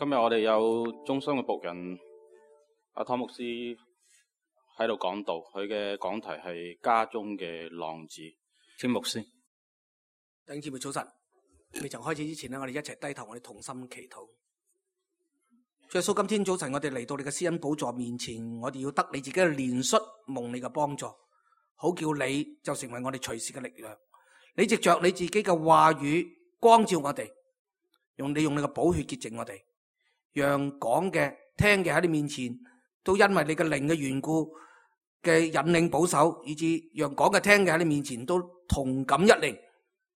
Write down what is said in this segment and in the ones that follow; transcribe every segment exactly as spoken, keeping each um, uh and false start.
今日我哋有中心嘅僕人阿湯牧師喺度講道，佢嘅講題係家中嘅浪子。請牧師。弟兄姊妹早晨，未曾開始之前呢，我哋一齊低頭，我哋同心祈禱。主耶穌，今天早晨我哋嚟到你嘅施恩寶座面前，我哋要得你自己嘅憐恤，蒙你嘅幫助，好叫你就成為我哋隨時嘅力量。你藉着你自己嘅話語光照我哋，用你用你嘅寶血潔淨我哋，讓講嘅聽嘅喺你面前都因為你嘅靈嘅緣故嘅引領保守，以致讓講嘅聽嘅喺你面前都同感一靈，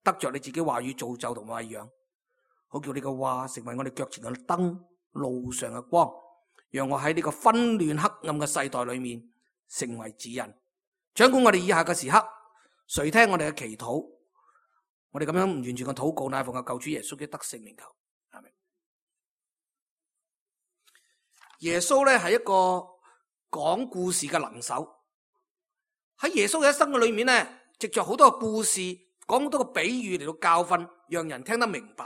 得着你自己話語造就同餵養，好叫你嘅話成為我哋腳前嘅燈，路上嘅光，讓我喺呢個紛亂黑暗嘅世代裏面成為指引。掌管我哋以下嘅時刻，垂聽我哋嘅祈禱，我哋咁樣唔完全嘅禱告，乃奉我救主耶穌基督得聖名求，阿們。耶穌咧係一個講故事嘅能手，喺耶穌嘅一生嘅裏面咧，藉着好多個故事，講好多個比喻嚟到教訓，讓人聽得明白。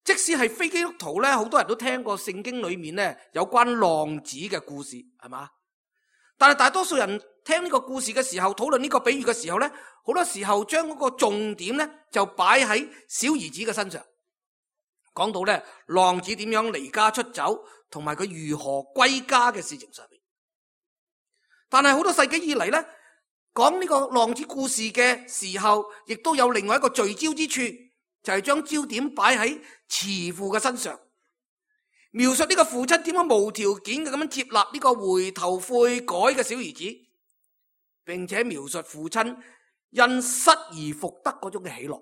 即使係非基督徒咧，好多人都聽過聖經裏面咧有關浪子嘅故事，係嘛？但係大多數人聽呢個故事嘅時候，討論呢個比喻嘅時候咧，好多時候將嗰個重點咧就擺喺小兒子嘅身上，講到咧浪子點樣離家出走，同埋佢如何歸家嘅事情上面。但係好多世紀以嚟咧，講呢個浪子故事嘅時候，亦都有另外一個聚焦之處，就係將焦點擺喺慈父嘅身上，描述呢個父親點樣無條件嘅咁樣接納呢個回頭悔改嘅小兒子，並且描述父親因失而復得嗰種嘅喜樂。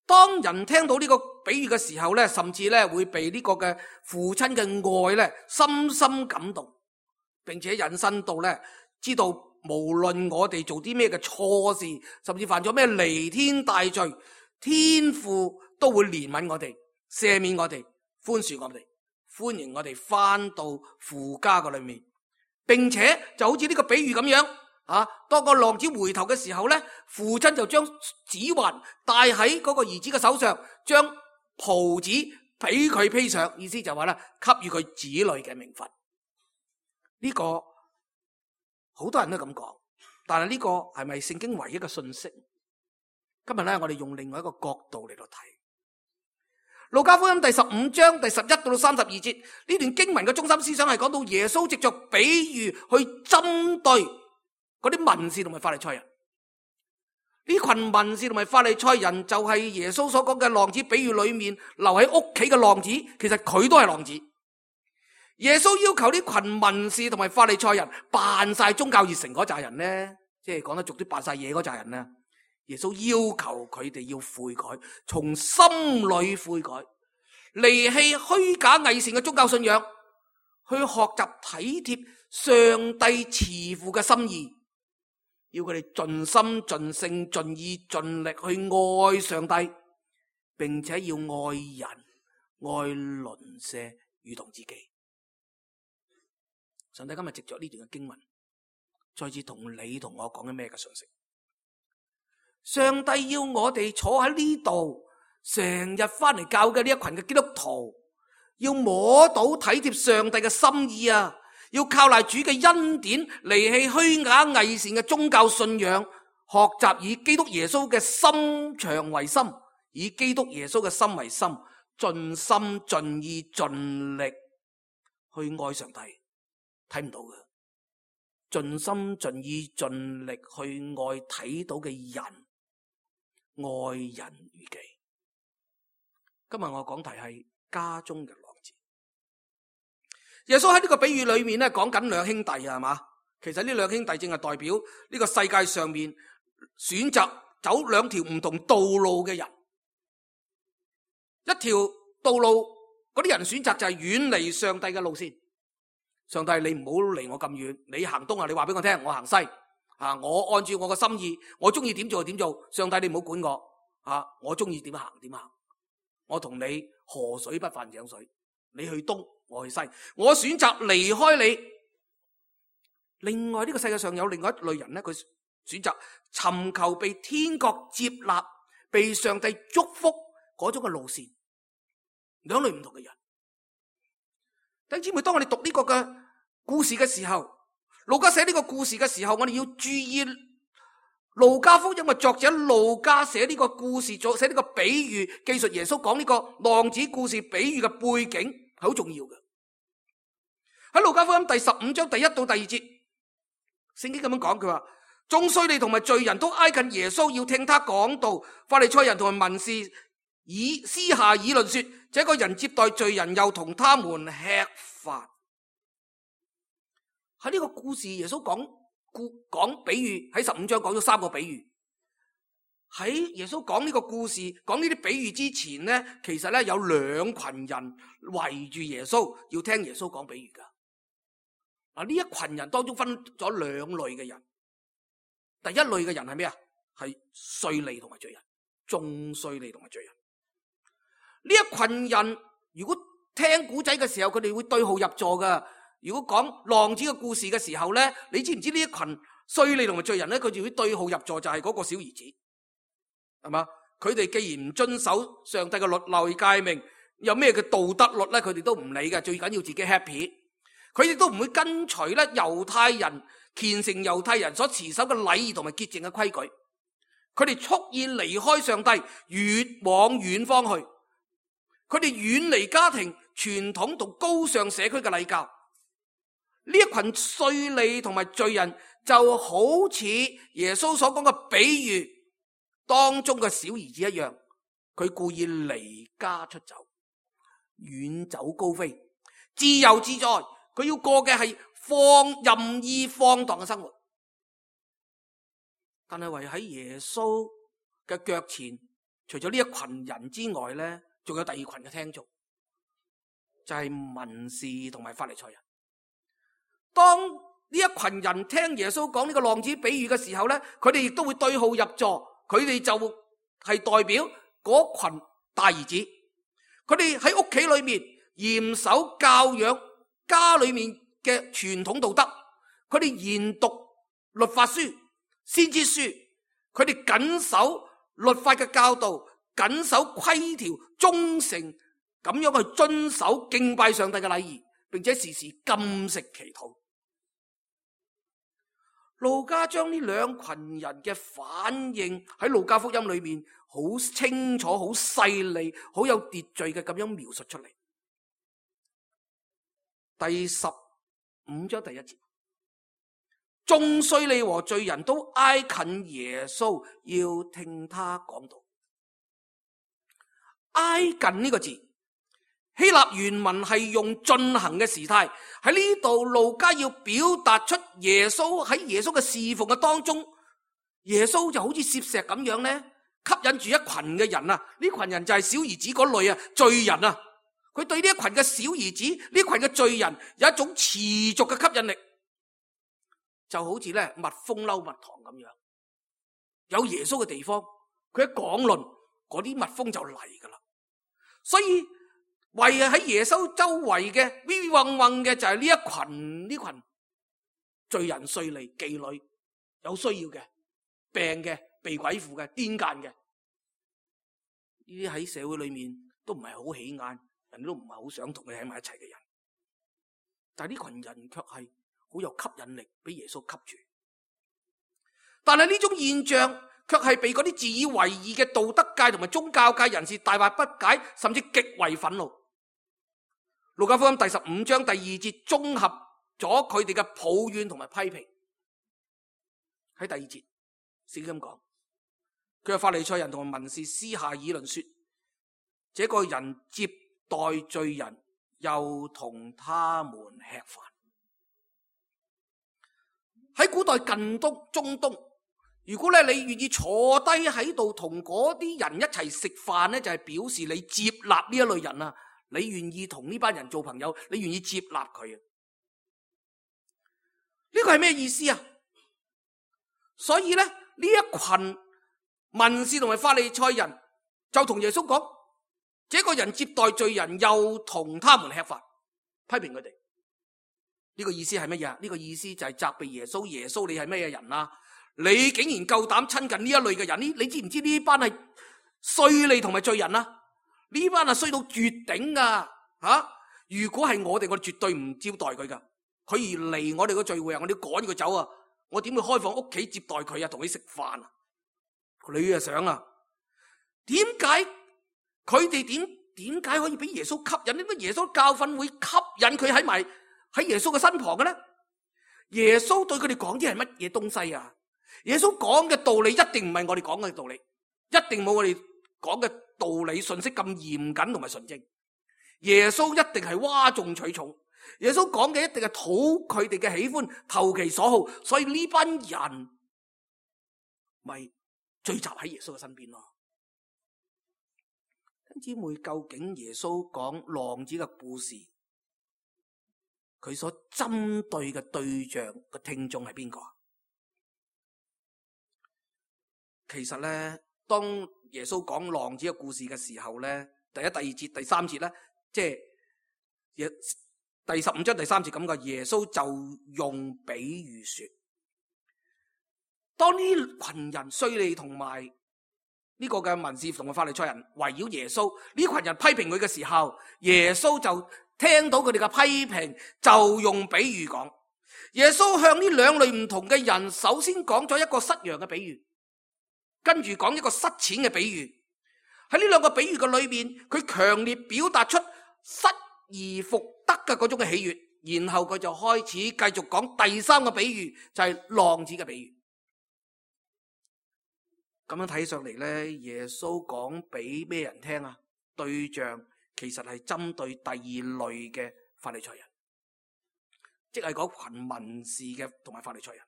當人聽到呢個比喻嘅時候咧，甚至咧會被呢個嘅父親嘅愛咧深深感動，並且引申到咧知道無論我哋做啲咩嘅錯事，甚至犯咗咩彌天大罪，天父都會憐憫我哋，赦免我哋，寬恕我哋，歡迎我哋翻到父家嘅裏面，並且就好似呢個比喻咁樣啊，當個浪子回頭嘅時候咧，父親就將指環戴喺嗰個兒子嘅手上，將袍子俾佢披上，意思就話咧給予佢子女嘅名分。呢、這個好多人都咁講，但係呢個係咪聖經唯一嘅信息？今日咧，我哋用另外一個角度嚟到睇路加福音第十五章第十一到三十二節，呢段經文嘅中心思想係講到耶穌藉着比喻去針對嗰啲文士同埋法利賽人。呢群文士同埋法利賽人就係耶穌所講嘅浪子比喻裏面留喺屋企嘅浪子，其實佢都係浪子。耶穌要求呢群文士同埋法利賽人扮晒宗教熱誠嗰扎人呢，即係講得俗啲，扮晒嘢嗰扎人呢。耶穌要求佢哋要悔改，從心裏悔改，離棄虛假偽善嘅宗教信仰，去學習體貼上帝慈父嘅心意，要佢哋盡心盡性盡意盡力去愛上帝，並且要愛人愛鄰舍如同自己。上帝今日藉着呢段嘅經文，再次同你同我講緊咩嘅信息？上帝要我哋坐喺呢度，成日翻嚟教嘅呢一群嘅基督徒，要摸到體貼上帝嘅心意啊！要靠賴主嘅恩典，離棄虛假偽善嘅宗教信仰，學習以基督耶穌嘅心腸為心，以基督耶穌嘅心為心，盡心盡意盡力去愛上帝。睇唔到嘅，盡心盡意盡力去愛睇到嘅人，愛人如己。今日我講題係家中嘅浪子。耶穌喺呢個比喻裏面咧，講緊兩兄弟係嘛？其實呢兩兄弟正係代表呢個世界上面選擇走兩條唔同道路嘅人。一條道路嗰啲人選擇就係遠離上帝嘅路線。上帝，你唔好離我咁遠，你行東啊，你話俾我聽，我行西啊，我按照我嘅心意，我中意點做就點做。上帝，你唔好管我啊，我中意點行點行。我同你河水不犯井水，你去東，我去西，我選擇離開你。另外呢個世界上有另外一類人咧，佢選擇尋求被天國接納、被上帝祝福嗰種嘅路線。兩類唔同嘅人。弟兄姊妹，當我哋讀呢個嘅故事嘅時候，路加寫呢個故事嘅時候，我哋要注意路加福音嘅作者路加寫呢個故事，寫呢個比喻，記述耶穌講呢個浪子故事比喻嘅背景係好重要嘅。喺路加福音第十五章第一到第二節，聖經咁樣講，佢話眾稅吏同埋罪人都挨近耶穌，要聽他講道。法利賽人同埋文士以私下議論說，這個人接待罪人，又同他們吃飯。喺呢個故事，耶穌講故講比喻，喺十五章講咗三個比喻。喺耶穌講呢個故事，講呢啲比喻之前呢，其實咧有兩群人圍住耶穌，要聽耶穌講比喻噶。嗱，呢一群人當中分咗兩類嘅人。第一類嘅人係咩啊？係稅吏同埋罪人，眾稅吏同埋罪人。呢一群人如果聽古仔嘅時候，佢哋會對號入座噶。如果講浪子嘅故事嘅時候咧，你知唔知呢一群稅吏同埋罪人咧，佢就會對號入座，就係嗰個小兒子，係嘛？佢哋既然唔遵守上帝嘅律例誡命，有咩嘅道德律咧，佢哋都唔理嘅，最緊要自己 happy。佢哋都唔會跟隨咧猶太人虔誠猶太人所持守嘅禮儀同埋潔淨嘅規矩，佢哋蓄意離開上帝，越往遠方去。佢哋遠離家庭傳統同高尚社區嘅禮教。呢一群稅吏同埋罪人就好似耶穌所講嘅比喻當中嘅小兒子一樣，佢故意離家出走，遠走高飛，自由自在。佢要過嘅係放任意放蕩嘅生活，但係唯喺耶穌嘅腳前，除咗呢一群人之外咧，仲有第二群嘅聽眾，就係文士同埋法利賽人。當呢一群人聽耶穌講呢個浪子比喻嘅時候咧，佢哋亦都會對號入座，佢哋就係代表嗰群大兒子，佢哋喺屋企裏面嚴守教養家裏面嘅傳統道德，佢哋研讀律法書、先知書，佢哋謹守律法嘅教導，謹守規條，忠誠咁樣去遵守敬拜上帝嘅禮儀，並且時時禁食祈禱。路加將呢兩群人嘅反應喺路加福音裏面好清楚、好細膩、好有秩序嘅咁樣描述出嚟。第十五章第一節，眾稅吏和罪人都挨近耶穌，要聽他講道。挨近呢個字，希臘原文係用進行嘅時態。喺呢度路加要表達出耶穌喺耶穌嘅侍奉嘅當中，耶穌就好似攝石咁樣咧，吸引住一群嘅人啊！呢群人就係小兒子嗰類啊，罪人啊。佢對呢一群嘅小兒子，呢群嘅罪人有一種持續嘅吸引力，就好似咧蜜蜂嬲蜜糖咁樣。有耶穌嘅地方，佢一講論，嗰啲蜜蜂就嚟噶啦。所以圍喺耶穌周圍嘅 V V 嗡嗡嘅就係呢一群呢群罪人、稅吏、妓女，有需要嘅、病嘅、被鬼附嘅、癲癇嘅，呢啲喺社會裏面都唔係好起眼。人都唔係好想同佢喺埋一齊嘅人，但係呢群人卻係好有吸引力，俾耶穌吸住。但係呢種現象卻係被嗰啲自以為義嘅道德界同埋宗教界人士大惑不解，甚至極為憤怒。路加福音第十五章第二節綜合咗佢哋嘅抱怨同埋批評。喺第二節聖經咁講，佢話法利賽人同埋文士私下議論說，這個人接待罪人，又同他們吃飯。喺古代近東、中東，如果咧你願意坐低喺度同嗰啲人一齊食飯咧，就係表示你接納呢一類人啊，你願意同呢班人做朋友，你願意接納佢啊。呢個係咩意思啊？所以咧呢一群文士同埋法利賽人就同耶穌講，這個人接待罪人，又同他們吃飯，批評佢哋。呢個意思係乜嘢？呢個意思就係責備耶穌。耶穌，你係咩人啊？你竟然夠膽親近呢一類嘅人？呢你知唔知呢班係稅吏同埋罪人啊？呢班啊衰到絕頂噶吓！如果係我哋，我哋絕對唔招待佢噶。佢而嚟我哋個聚會啊，我哋要趕佢走啊！我點會開放屋企接待佢啊？同佢食飯啊？你啊想啊？點解佢哋點點解可以俾耶穌吸引？點解耶穌教訓會吸引佢喺埋喺耶穌嘅身旁嘅咧？耶穌對佢哋講啲係乜嘢東西啊？耶穌講嘅道理一定唔係我哋講嘅道理，一定冇我哋講嘅道理信息咁嚴謹同埋純正。耶穌一定係嘩眾取寵，耶穌講嘅一定係討佢哋嘅喜歡，投其所好，所以呢班人咪聚集喺耶穌嘅身邊咯。弟兄姊妹，究竟耶穌講浪子嘅故事，佢所針對嘅對象嘅聽眾係邊個？其實咧，當耶穌講浪子嘅故事嘅時候咧，第一、第二節、第三節咧，即係第十五章第三節咁嘅，耶穌就用比喻說，當呢群人稅吏同埋呢個嘅文士同埋法利賽人圍繞耶穌，呢群人批評佢嘅時候，耶穌就聽到佢哋嘅批評，就用比喻講。耶穌向呢兩類唔同嘅人，首先講咗一個失羊嘅比喻，跟住講一個失錢嘅比喻。喺呢兩個比喻嘅裏面，佢強烈表達出失而復得嘅嗰種嘅喜悅，然後佢就開始繼續講第三個比喻，就係浪子嘅比喻。咁樣睇上嚟咧，耶穌講俾咩人聽啊？對象其實係針對第二類嘅法利賽人，即係嗰群文士嘅同埋法利賽人。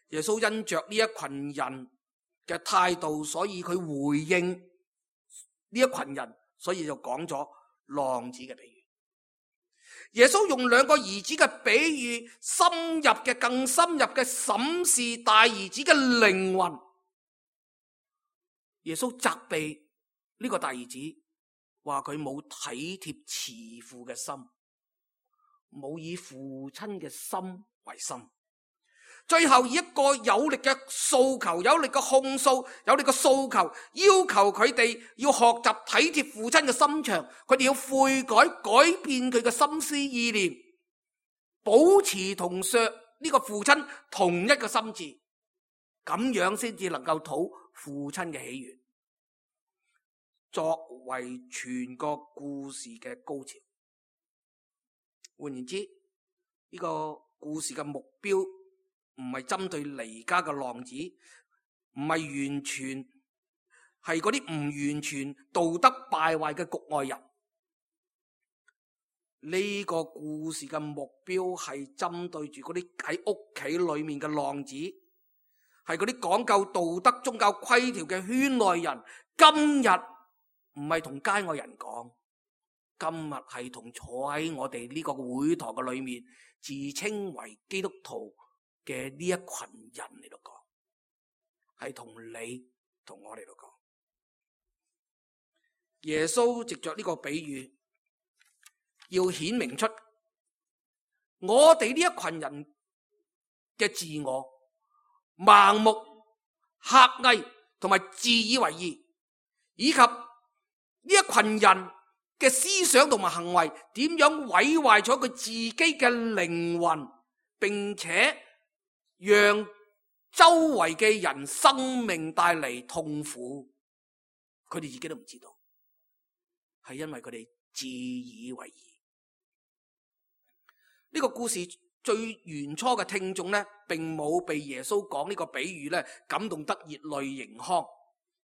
耶穌因着呢一群人嘅態度，所以佢回應呢一群人，所以就講咗浪子嘅比喻。耶穌用兩個兒子嘅比喻，深入嘅、更深入嘅審視大兒子嘅靈魂。耶穌責備呢個大兒子，話佢冇體貼慈父嘅心，冇以父親嘅心為心。最後以一個有力嘅訴求、有力嘅控訴、有力嘅訴求，要求佢哋要學習體貼父親嘅心腸，佢哋要悔改、改變佢嘅心思意念，保持同上呢個父親同一個心志，咁樣先至能夠討父親嘅喜悅，作為全個故事嘅高潮。換言之，呢個故事嘅目標唔係針對離家嘅浪子，唔係完全係嗰啲唔完全道德敗壞嘅局外人。呢個故事嘅目標係針對住嗰啲喺屋企裏面嘅浪子，係嗰啲講究道德宗教規條嘅圈內人。今日唔係同街外人講，今日係同坐喺我哋呢個會堂嘅裏面，自稱為基督徒嘅呢一群人嚟度講，係同你同我嚟度講。耶穌藉着呢個比喻，要顯明出我哋呢一群人嘅自我、盲目、狹隘同埋自以為義，以及呢一群人嘅思想同埋行為點樣毀壞咗佢自己嘅靈魂，並且讓周圍嘅人生命帶嚟痛苦，佢哋自己都唔知道，係因為佢哋自以為義。呢個故事最原初嘅聽眾咧，並冇被耶穌講呢個比喻咧感動得熱淚盈眶，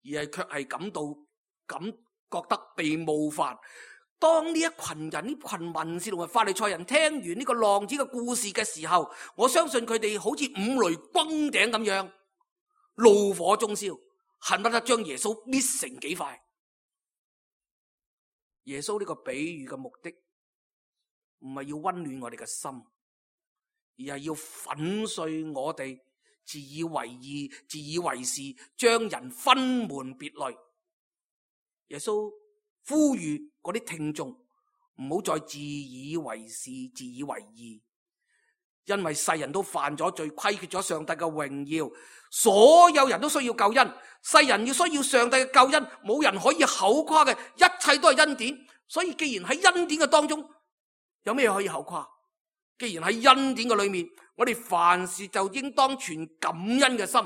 而係卻係感到感覺得被冒犯。當呢一群人、呢群文士同埋法利賽人聽完呢個浪子嘅故事嘅時候，我相信佢哋好似五雷轟頂咁樣，怒火中燒，恨不得將耶穌搣成幾塊。耶穌呢個比喻嘅目的唔係要溫暖我哋嘅心，而係要粉碎我哋自以為義、自以為是，將人分門別類。耶穌呼籲嗰啲聽眾唔好再自以為是、自以為義，因為世人都犯咗罪，虧缺咗上帝嘅榮耀，所有人都需要救恩。世人要需要上帝嘅救恩，冇人可以口誇嘅，一切都係恩典。所以既然喺恩典嘅當中，有咩可以口誇？既然喺恩典嘅裏面，我哋凡事就應當存感恩嘅心。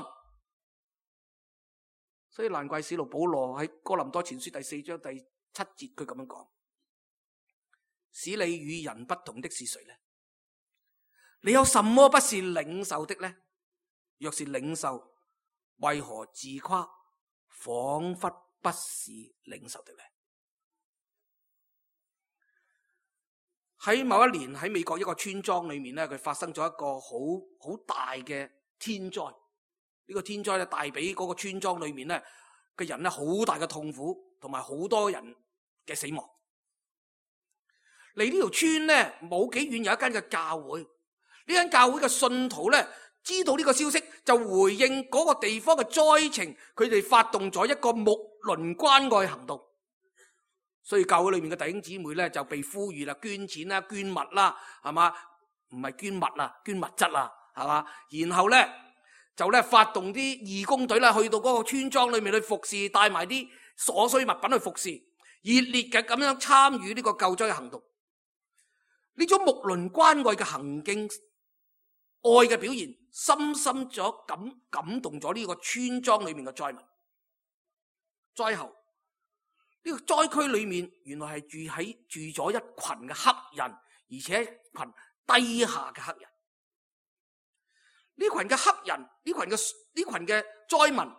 所以難怪使徒保羅喺哥林多前書第四章第七節佢咁樣講：使你與人不同的是誰呢？你有什麼不是領受的呢？若是領受，為何自誇，仿佛不是領受的呢？喺某一年喺美國一個村莊裏面咧，佢發生咗一個好好大嘅天災。呢個天災咧帶俾嗰個村莊裏面咧嘅人咧好大嘅痛苦，同埋好多人嘅死亡。離呢條村咧冇幾遠有一間嘅教會，呢間教會嘅信徒咧知道呢個消息，就回應嗰個地方嘅災情，佢哋發動咗一個睦鄰關愛行動。所以教會裏面嘅弟兄姊妹咧就被呼籲啦，捐錢啦、捐物啦，係嘛？唔係捐物啦，捐物質啦，係嘛？然後咧就咧發動啲義工隊啦，去到嗰個村莊裏面去服侍，帶埋啲所需物品去服侍，熱烈嘅咁樣參與呢個救災嘅行動。呢種睦鄰關愛嘅行徑，愛嘅表現，深深咗感感動咗呢個村莊裏面嘅災民。災後呢個災區裏面原來係住喺住咗一群嘅黑人，而且一群低下嘅黑人。呢群嘅黑人，呢群嘅呢群嘅災民，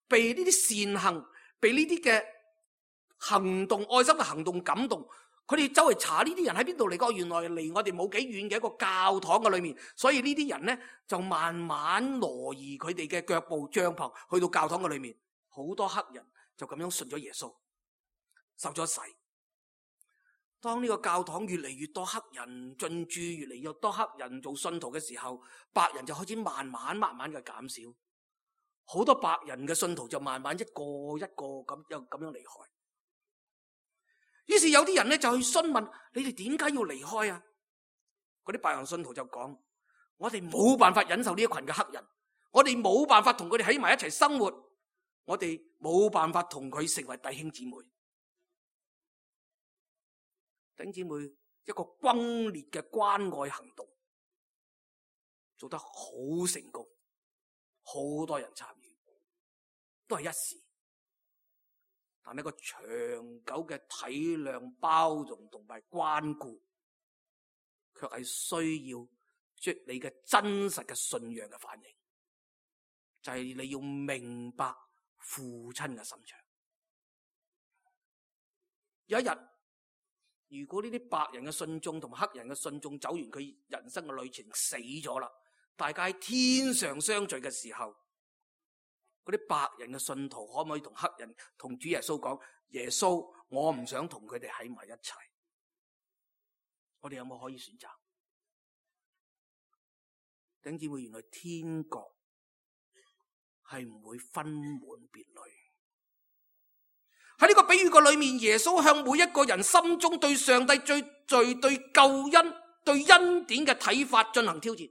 被呢啲善行，被呢啲嘅行動、愛心嘅行動感動。佢哋周圍查呢啲人喺邊度嚟過，原來離我哋冇幾遠嘅一個教堂嘅裏面。所以呢啲人呢，就慢慢挪移佢哋嘅腳步帳篷去到教堂嘅裏面。好多黑人就咁樣信咗耶穌，受咗洗。當呢個教堂越嚟越多黑人進駐，越嚟越多黑人做信徒嘅時候，白人就開始慢慢慢慢嘅減少。好多白人嘅信徒就慢慢一個一個咁又咁樣離開。於是有啲人咧就去詢問：你哋點解要離開啊？嗰啲白人信徒就講：我哋冇辦法忍受呢一群嘅黑人，我哋冇辦法同佢哋喺埋一齊生活，我哋冇辦法同佢成為弟兄姊妹。弟兄姊妹，一個轟烈嘅關愛行動做得好成功，好多人參與，都係一時。但係一個長久嘅體諒、包容同埋關顧，卻係需要即你嘅真實嘅信仰嘅反應，就係你要明白父親嘅心腸。有一日，如果呢啲白人嘅信眾同黑人嘅信眾走完佢人生嘅旅程死咗啦，大家喺天上相聚嘅時候，嗰啲白人嘅信徒可唔可以同黑人同主耶穌講：耶穌，我唔想同佢哋喺埋一齊。我哋有冇可以選擇？弟兄姊妹，原來天國係唔會分門別類。喺呢個比喻個裏面，耶穌向每一個人心中對上帝最最對救恩、對恩典嘅睇法進行挑戰。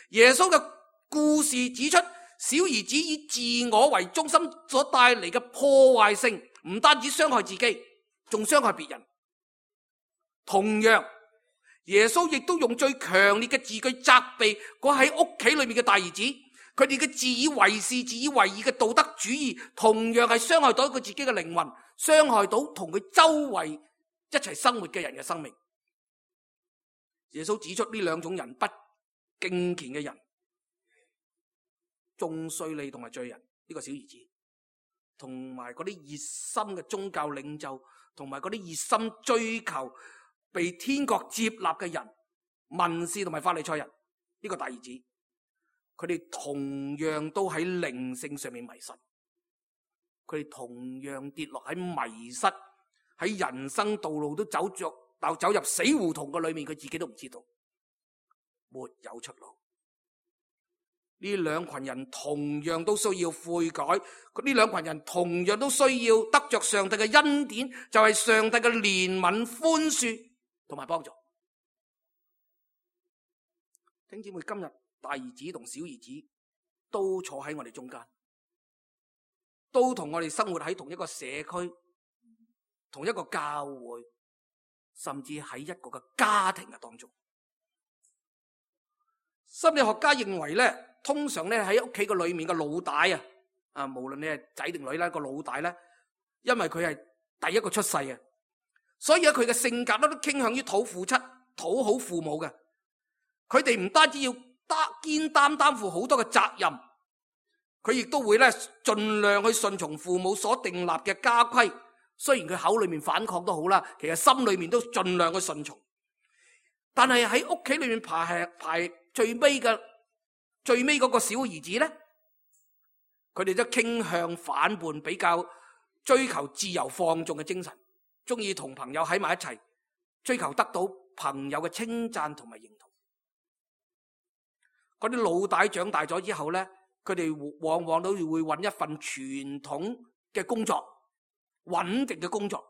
耶穌嘅故事指出，小兒子以自我為中心所帶嚟嘅破壞性，唔單止傷害自己，仲傷害別人。同樣，耶穌亦都用最強烈嘅字句責備嗰喺屋企裏面嘅大兒子，佢哋嘅自以為是、自以為義嘅道德主義，同樣係傷害到佢自己嘅靈魂，傷害到同佢周圍一齊生活嘅人嘅生命。耶穌指出呢兩種人，不敬虔嘅人，眾稅吏同埋罪人，呢個小兒子，同埋嗰啲熱心嘅宗教領袖，同埋嗰啲熱心追求被天國接納嘅人，文士同埋法利賽人，呢個大兒子，佢哋同樣都喺靈性上面迷失，佢哋同樣跌落喺迷失，喺人生道路都走着走入死胡同嘅裏面，佢自己都唔知道，沒有出路。呢兩群人同樣都需要悔改，呢兩群人同樣都需要得着上帝嘅恩典，就係上帝嘅憐憫、寬恕同埋幫助。弟兄姊妹，今日大兒子同小兒子都坐喺我哋中間，都同我哋生活喺同一個社區、同一個教會，甚至喺一個嘅家庭嘅當中。心理學家認為咧，通常咧喺屋企個裏面嘅老大啊，啊無論你係仔定女啦，個老大咧，因為佢係第一個出世嘅，所以咧佢嘅性格都傾向於討父親、討好父母嘅。佢哋唔單止要擔肩擔擔負好多嘅責任，佢亦都會咧盡量去順從父母所訂立嘅家規。雖然佢口裏面反抗都好啦，其實心裏面都盡量去順從。但係喺屋企裏面排排最尾嘅最尾嗰個小兒子咧，佢哋都傾向反叛，比較追求自由放縱嘅精神，中意同朋友喺埋一齊，追求得到朋友嘅稱讚同埋認同。嗰啲老大長大咗之後咧，佢哋往往都會揾一份傳統嘅工作，穩定嘅工作，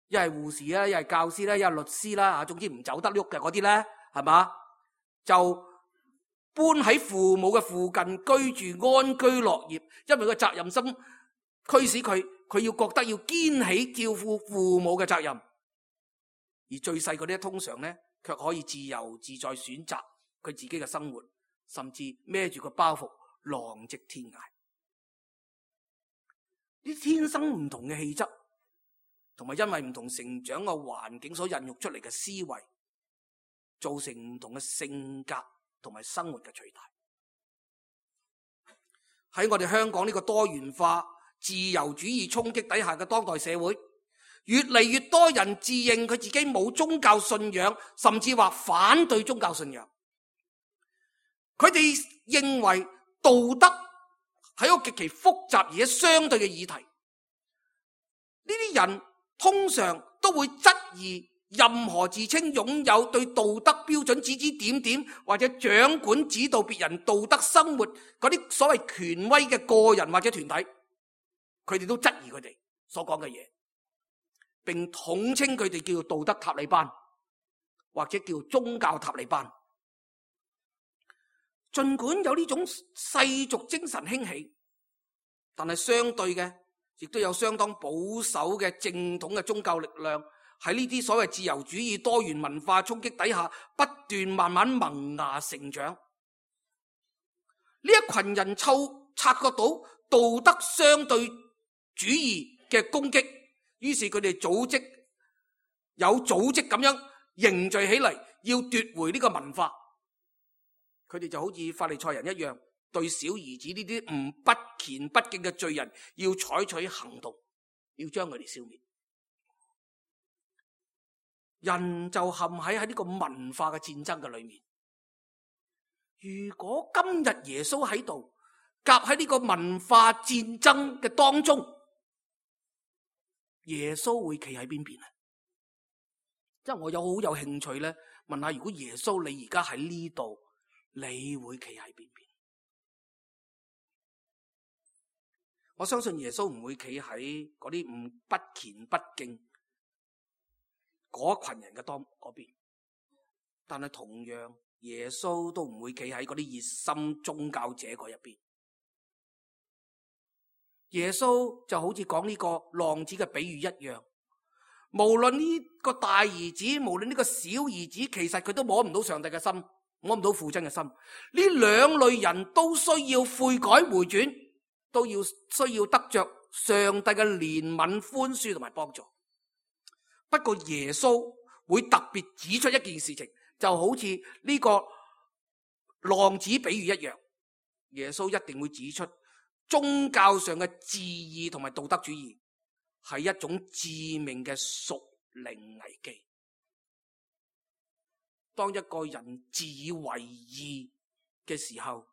一係護士啦，一係教師啦，一係律師啦，啊，總之唔走得喐嘅嗰啲咧，係嘛？就搬喺父母嘅附近居住，安居樂業，因為個責任心驅使佢，佢要覺得要肩起照顧父母嘅責任。而最細嗰啲通常咧，卻可以自由自在選擇佢自己嘅生活，甚至孭住個包袱浪跡天涯。呢天生唔同嘅氣質，同埋因為唔同成長嘅環境所孕育出嚟嘅思維，造成唔同嘅性格同埋生活嘅取態。喺我哋香港呢個多元化、自由主義衝擊底下嘅當代社會，越嚟越多人自認佢自己冇宗教信仰，甚至話反對宗教信仰。佢哋認為道德係一個極其複雜而且相對嘅議題。呢啲人通常都會質疑任何自稱擁有對道德標準指指點點或者掌管指導別人道德生活嗰啲所謂權威嘅個人或者團體，佢哋都質疑佢哋所講嘅嘢，並統稱佢哋叫做道德塔利班或者叫宗教塔利班。儘管有呢種世俗精神興起，但係相對嘅亦都有相當保守嘅正統嘅宗教力量喺呢啲所謂自由主義多元文化衝擊底下不斷慢慢萌芽成長。呢一群人嗅察覺到道德相對主義嘅攻擊，於是佢哋組織有組織咁樣凝聚起嚟，要奪回呢個文化。佢哋就好似法利賽人一樣，對小兒子呢啲唔不虔不敬嘅罪人要採取行動，要將佢哋消滅。人就陷喺喺呢個文化嘅戰爭嘅裏面。如果今日耶穌喺度夾喺呢個文化戰爭嘅當中，耶穌會企喺邊邊啊？即係我有好有興趣咧，問下如果耶穌你而家喺呢度，你會企喺邊邊？我相信耶穌唔會企喺嗰啲唔不虔不敬嗰群人嘅當嗰邊，但係同樣耶穌都唔會企喺嗰啲熱心宗教者嗰一邊。耶穌就好似講呢個浪子嘅比喻一樣，無論呢個大兒子，無論呢個小兒子，其實佢都摸唔到上帝嘅心，摸唔到父親嘅心。呢兩類人都需要悔改回轉，都要需要得着上帝嘅憐憫、寬恕同埋幫助。不過耶穌會特別指出一件事情，就好似呢個浪子比喻一樣，耶穌一定會指出宗教上嘅自義同埋道德主義係一種致命嘅屬靈危機。當一個人自以為義嘅時候，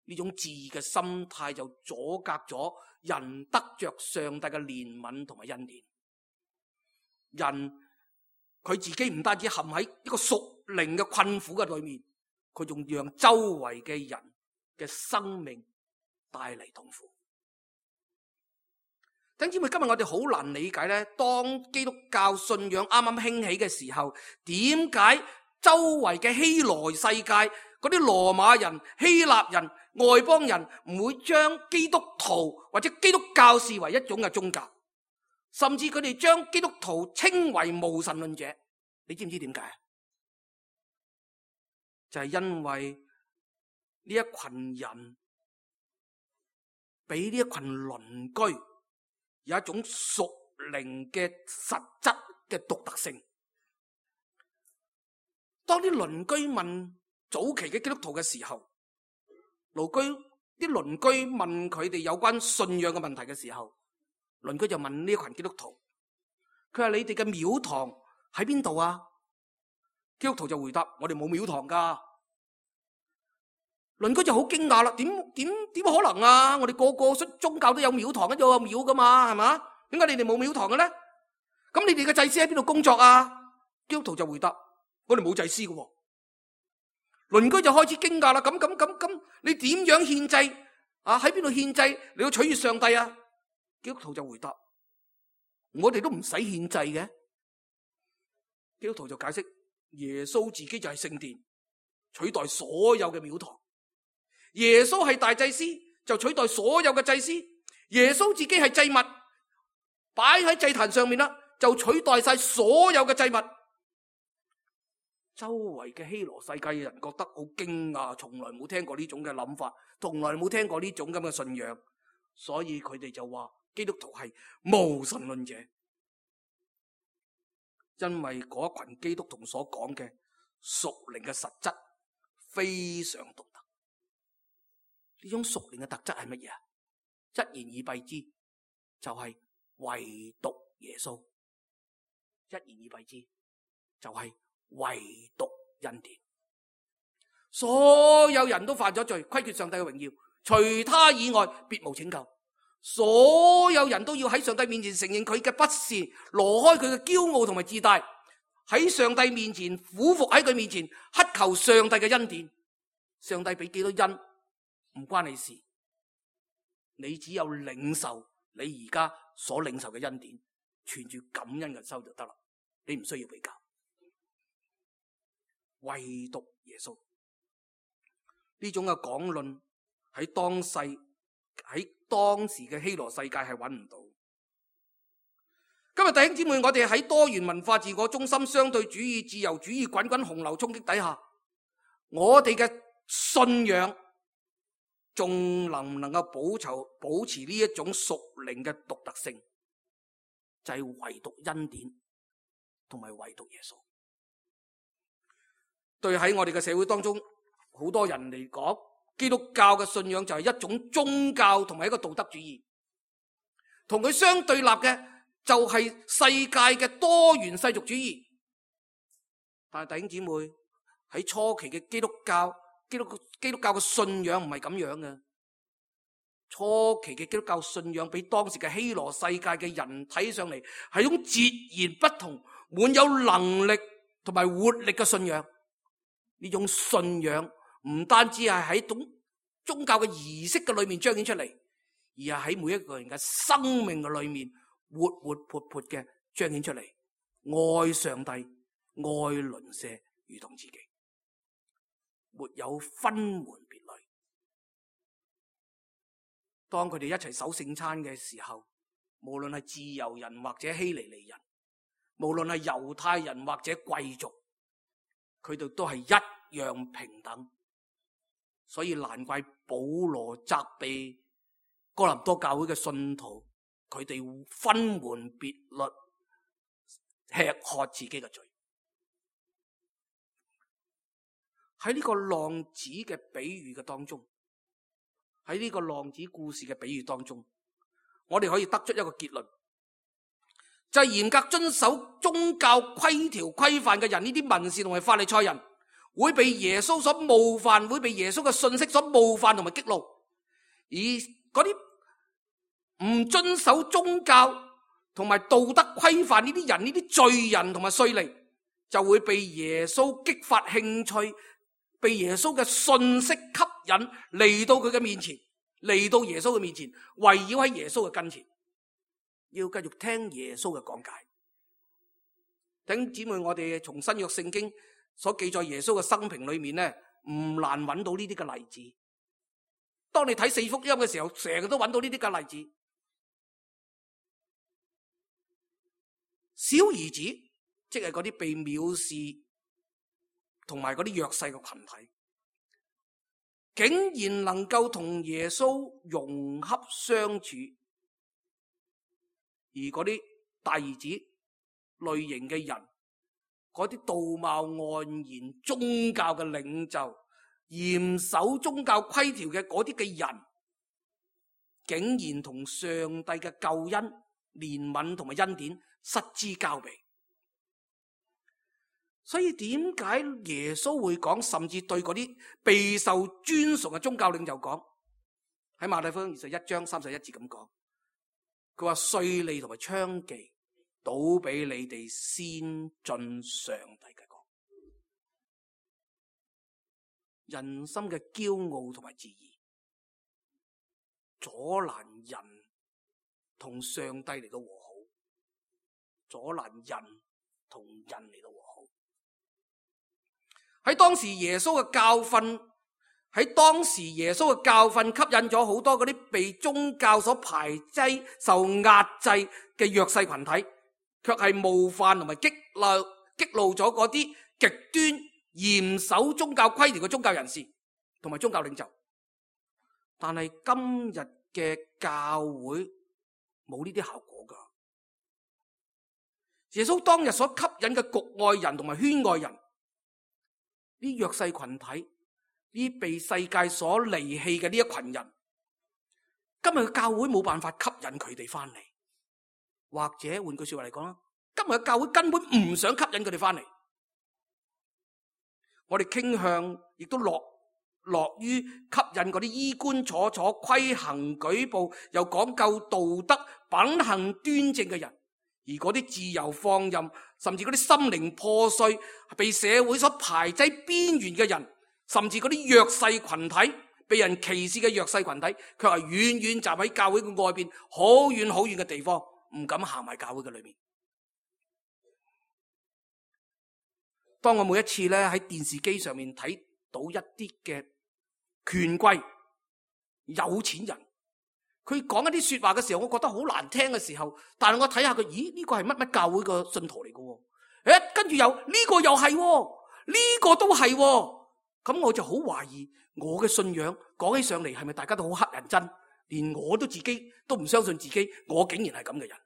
呢種自義嘅心態就阻隔咗人得着上帝嘅憐憫同埋恩典。人佢自己唔單止陷喺一個屬靈嘅困苦嘅裏面，佢仲讓周圍嘅人嘅生命帶嚟痛苦。弟兄姊妹，今日我哋好難理解咧，當基督教信仰啱啱興起嘅時候，點解周圍嘅希羅世界嗰啲羅馬人、希臘人、外邦人唔會將基督徒或者基督教視為一種嘅宗教，甚至佢哋將基督徒稱為無神論者。你知唔知點解？就係因為呢一群人俾呢一群鄰居有一種屬靈嘅實質嘅獨特性。當啲鄰居問早期嘅基督徒嘅時候，鄰居啲鄰居問佢哋有關信仰嘅問題嘅時候，鄰居就問呢一群基督徒，佢話：你哋嘅廟堂喺邊度啊？基督徒就回答：我哋冇廟堂噶。鄰居就好驚訝啦，點點點可能啊？我哋個個宗教都有廟堂，跟住有廟噶嘛，係嘛？點解你哋冇廟堂嘅咧？咁你哋嘅祭司喺邊度工作啊？基督徒就回答：我哋冇祭司嘅喎。鄰居就開始驚訝啦，咁咁咁咁，你點樣獻祭啊？喺邊度獻祭？你要取悅上帝啊？基督徒就回答：我哋都唔使獻祭嘅。基督徒就解釋：耶穌自己就係聖殿，取代所有嘅廟堂。耶穌係大祭司，就取代所有嘅祭司。耶穌自己係祭物，擺喺祭壇上面啦，就取代晒所有嘅祭物。周圍嘅希羅世界嘅人覺得好驚訝，從來冇聽過呢種嘅諗法，從來冇聽過呢種咁嘅信仰，所以佢哋就話基督徒係無神論者，因為嗰一群基督徒所講嘅屬靈嘅實質非常獨特。呢種屬靈嘅特質係乜嘢啊？一言以蔽之，就係唯獨耶穌。一言以蔽之，就係唯獨恩典。所有人都犯咗罪，虧缺上帝嘅榮耀，除他以外別無拯救。所有人都要喺上帝面前承認佢嘅不善，挪開佢嘅驕傲同埋自大，喺上帝面前俯伏喺佢面前乞求上帝嘅恩典。上帝俾幾多恩唔關你事，你只有領受你而家所領受嘅恩典，存住感恩嘅心就得啦。你唔需要比較。唯獨耶穌呢種嘅講論喺當世喺當時嘅希羅世界係揾唔到。今日弟兄姊妹，我哋喺多元文化、自我中心、相對主義、自由主義滾滾洪流衝擊底下，我哋嘅信仰仲能唔能夠保持保持呢一種屬靈嘅獨特性？就係唯獨恩典同埋唯獨耶穌。對喺我哋嘅社會當中，好多人嚟講，基督教嘅信仰就係一種宗教同埋一個道德主義，同佢相對立嘅就係世界嘅多元世俗主義。但係弟兄姊妹，喺初期嘅基督教，基督基督教嘅信仰唔係咁樣嘅。初期嘅基督教信仰俾當時嘅希羅世界嘅人睇上嚟係一種截然不同、滿有能力同埋活力嘅信仰。呢種信仰唔單止係喺種宗教嘅儀式嘅裏面彰顯出嚟，而係喺每一個人嘅生命嘅裏面活活潑潑嘅彰顯出嚟。愛上帝，愛鄰舍如同自己，沒有分門別類。當佢哋一齊守聖餐嘅時候，無論係自由人或者希利尼人，無論係猶太人或者貴族，佢哋都係一樣平等。所以難怪保羅責備哥林多教會嘅信徒，佢哋分門別類，吃喝自己嘅罪。喺呢個浪子嘅比喻嘅當中，喺呢個浪子故事嘅比喻當中，我哋可以得出一個結論，就係嚴格遵守宗教規條規範嘅人，呢啲文士同埋法利賽人，會被耶穌所冒犯，會被耶穌嘅信息所冒犯同埋激怒。而嗰啲唔遵守宗教同埋道德規範呢啲人，呢啲罪人同埋稅吏，就會被耶穌激發興趣，被耶穌嘅信息吸引嚟到佢嘅面前，嚟到耶穌嘅面前，圍繞喺耶穌嘅跟前，要繼續聽耶穌嘅講解。弟兄姊妹，我哋從新約聖經所記載耶穌嘅生平裏面呢，唔難揾到呢啲嘅例子。當你睇四福音嘅時候，成日都揾到呢啲嘅例子。小兒子即係嗰啲被藐視同埋嗰啲弱勢嘅群體，竟然能夠同耶穌融洽相處，而嗰啲大兒子類型嘅人，嗰啲道貌岸然宗教嘅領袖，嚴守宗教規條嘅嗰啲嘅人，竟然同上帝嘅救恩、憐憫同埋恩典失之交臂。所以點解耶穌會講，甚至對嗰啲備受尊崇嘅宗教領袖講，喺馬太福音二十一章三十一節咁講，佢話稅吏同埋娼妓倒俾你哋先進上帝嘅國。人心嘅驕傲同埋自義，阻攔人同上帝嚟到和好，阻攔人同人嚟到和好。喺當時耶穌嘅教訓，喺當時耶穌嘅教訓吸引咗好多嗰啲被宗教所排擠、受壓制嘅弱勢群體，卻係冒犯同埋激怒激怒咗嗰啲極端嚴守宗教規條嘅宗教人士同埋宗教領袖。但係今日嘅教會冇呢啲效果噶。耶穌當日所吸引嘅局外人同埋圈外人，呢弱勢群體，呢被世界所離棄嘅呢一群人，今日嘅教會冇辦法吸引佢哋翻嚟，或者換句說話嚟講啦，今日嘅教會根本唔想吸引佢哋翻嚟。我哋傾向亦都樂樂於吸引嗰啲衣冠楚楚、規行矩步又講究道德、品行端正嘅人，而嗰啲自由放任，甚至嗰啲心靈破碎、被社會所排擠邊緣嘅人，甚至嗰啲弱勢群體、被人歧視嘅弱勢群體，卻係遠遠站喺教會嘅外邊，好遠好遠嘅地方，唔敢行埋教會嘅裏面。當我每一次咧喺電視機上面睇到一啲嘅權貴、有錢人，佢講一啲說話嘅時候，我覺得好難聽嘅時候，但係我睇下佢，咦呢個係乜乜教會嘅信徒嚟嘅？誒，跟住又呢個又係，呢個都係，咁我就好懷疑我嘅信仰講起上嚟係咪大家都好乞人憎，連我都自己都唔相信自己，我竟然係咁嘅人，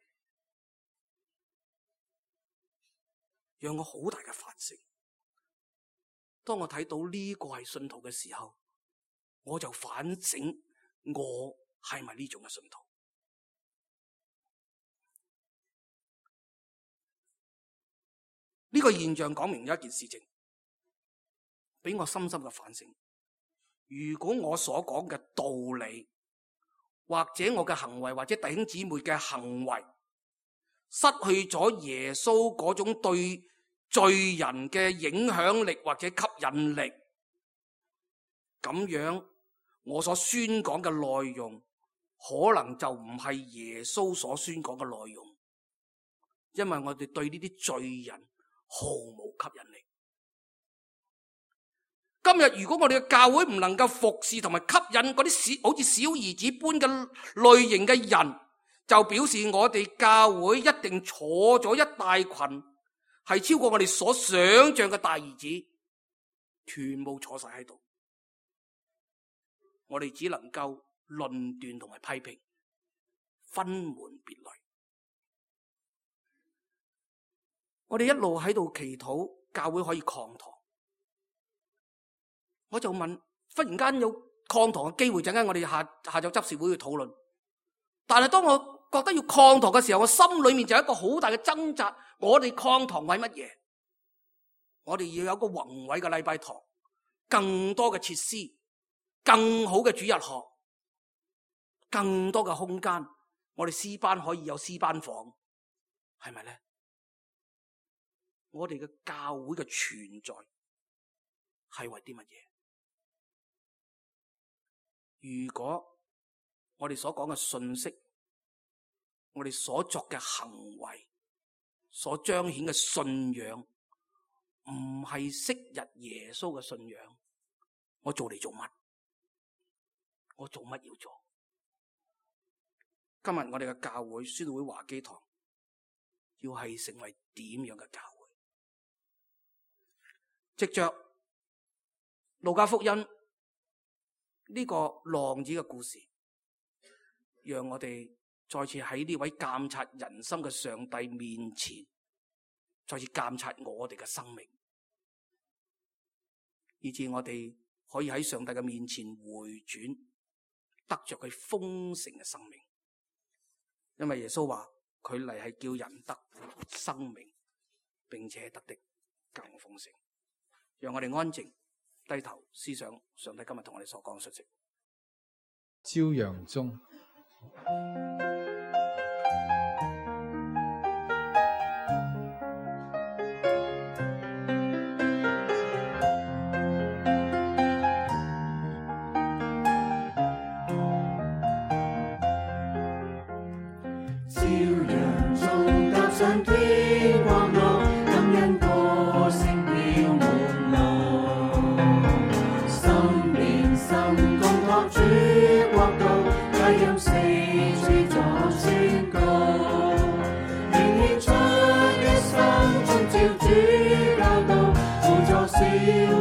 讓我好大嘅反省。當我睇到呢個係信徒嘅時候，我就反省我係咪呢種嘅信徒？呢個現象講明咗一件事情，俾我深深嘅反省。如果我所講嘅道理，或者我嘅行為，或者弟兄姊妹嘅行為，失去咗耶穌嗰種對罪人嘅影響力或者吸引力，咁樣我所宣講嘅內容可能就唔係耶穌所宣講嘅內容，因為我哋對呢啲罪人毫無吸引力。今日如果我哋嘅教會唔能夠服侍同埋吸引嗰啲小好似小兒子般嘅類型嘅人，就表示我哋教會一定坐咗一大群係超過我哋所想象嘅大兒子，全部坐晒喺度。我哋只能夠論斷同埋批評，分門別類。我哋一路喺度祈禱，教會可以擴堂。我就問，忽然間有擴堂嘅機會，陣間我哋下下晝執事會去討論。但係當我覺得要擴堂嘅時候，我心裏面就有一個好大嘅掙扎。我哋擴堂為乜嘢？我哋要有一個宏偉嘅禮拜堂，更多嘅設施，更好嘅主日學，更多嘅空間。我哋詩班可以有詩班房，係咪咧？我哋嘅教會嘅存在係為啲乜嘢？如果我哋所講嘅信息，我哋所作嘅行為，所彰顯嘅信仰，唔係昔日耶穌嘅信仰，我做嚟做乜？我做乜要做？今日我哋嘅教會宣道會華基堂要係成為點樣嘅教會？藉着路加福音呢個浪子嘅故事，讓我哋再次喺呢位監察人心嘅上帝面前，再次監察我哋嘅生命，以致我哋可以喺上帝嘅面前回轉，得着佢豐盛嘅生命。因為耶穌話佢嚟係叫人得生命，並且得的更豐盛。讓我哋安靜低頭思想上帝今日同我哋所講嘅信息。朝陽中，朝陽中踏上天國路，感恩歌聲飄滿路，心連心共托主國度，佳音四處作宣告，願獻出一生遵照主教導，輔助小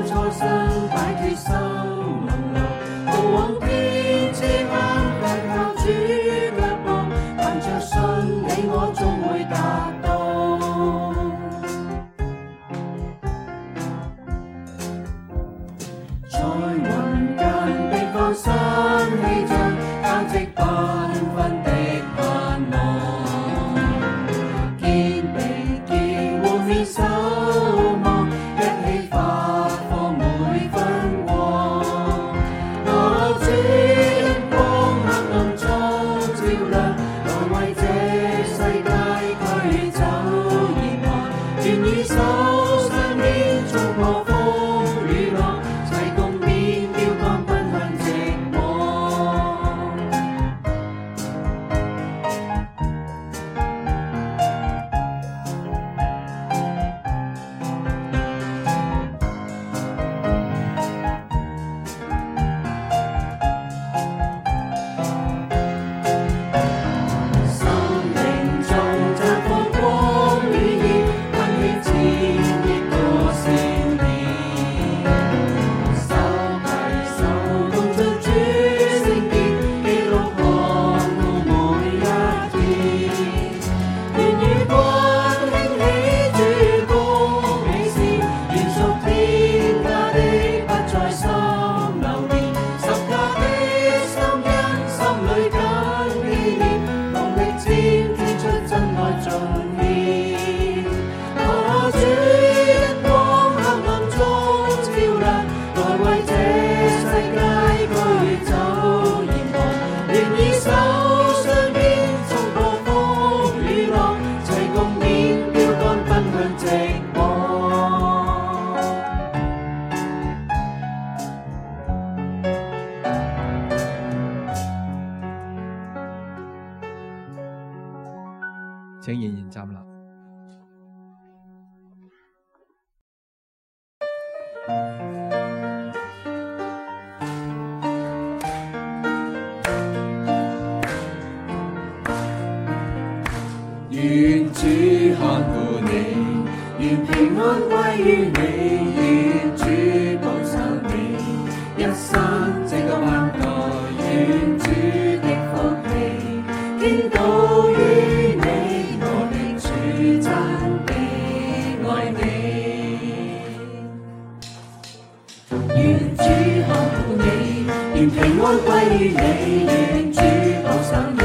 初生擺脫心籠牢，路往天之間，緊靠主腳步，憑着信你我終會達到。在雲間的放新氣象，交織繽紛的盼望，肩並肩互勉守望，一起發放每分光。我主因光黑暗中照亮，來為這世界驅走嚴寒，願以手相牽衝破風雨浪，齊共面標竿奔向夕光。生命中綻放光與熱，噴起熾熱個少年，手攜手共進主聖殿，記錄看顧每一天。願與君興起主公美事，願屬天家的不再心流連，十架的心因心裏緊記念，努力瞻天出真愛盡獻。我主因光黑暗中照亮，來為這世界驅走嚴寒，願以手相牽衝破風雨浪，齊共勉標竿奔向夕光。請仍然站立。願主看顧你，願平安歸於你，願主保守你，一生這個萬代，願主的福氣傾倒於你，我的主真的愛你。願主看顧你，願平安歸於你，願主保守你，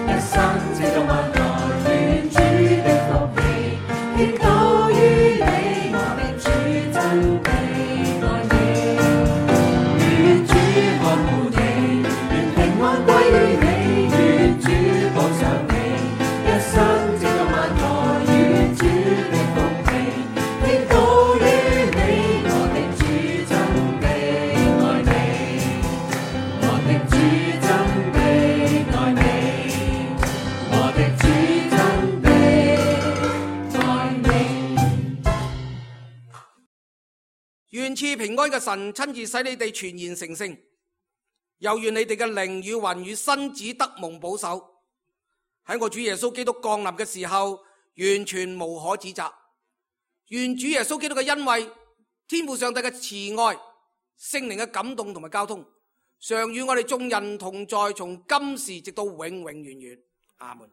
一生這個萬代。願主的福氣傾倒於你，我的主真的愛你。願主看顧你，願平安歸於你，願主保守你，一生這個萬代。願主的福氣傾倒於你，我的主真的愛你，我的主真的願賜平安嘅神親自使你哋全然成聖，又願你哋嘅靈與魂與身子得蒙保守，喺我主耶穌基督降臨嘅時候完全無可指責。願主耶穌基督嘅恩惠、天父上帝嘅慈愛、聖靈嘅感動同埋交通，常與我哋眾人同在，從今時直到永永遠遠。阿門。